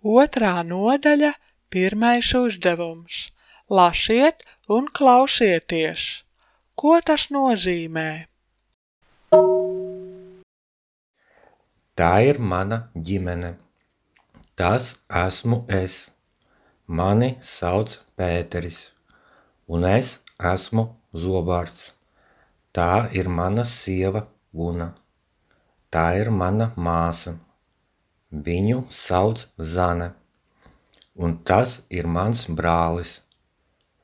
Otrā nodaļa, pirmais uzdevums. Lasiet un klausieties. Ko tas nozīmē? Tā ir mana ģimene. Tas esmu es. Mani sauc Pēteris, un es esmu Zobārds. Tā ir mana sieva Guna. Tā ir mana māsa. Viņu sauc Zane. Un tas ir mans brālis.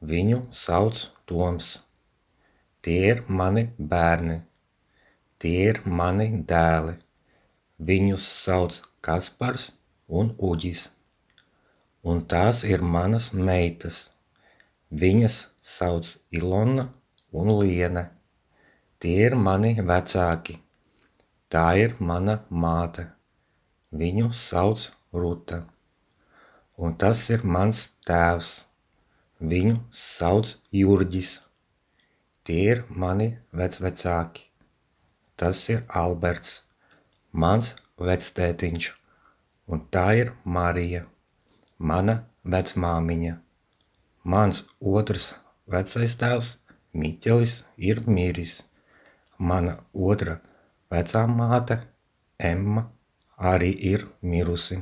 Viņu sauc Toms. Tie ir mani bērni. Tie ir mani dēli. Viņus sauc Kaspars un Uģis. Un tās ir manas meitas. Viņas sauc Ilona un Liene. Tie ir mani vecāki. Tā ir mana māte. Viņu sauc Ruta. Un tas ir mans tēvs. Viņu sauc Jurģis. Tie ir mani vecvecāki. Tas ir Alberts, mans vectētiņš. Un tā ir Marija, mana vecmāmiņa. Mans otrs vecais tēvs Miķelis ir miris. Mana otra vecā māte Emma arī ir mirusi.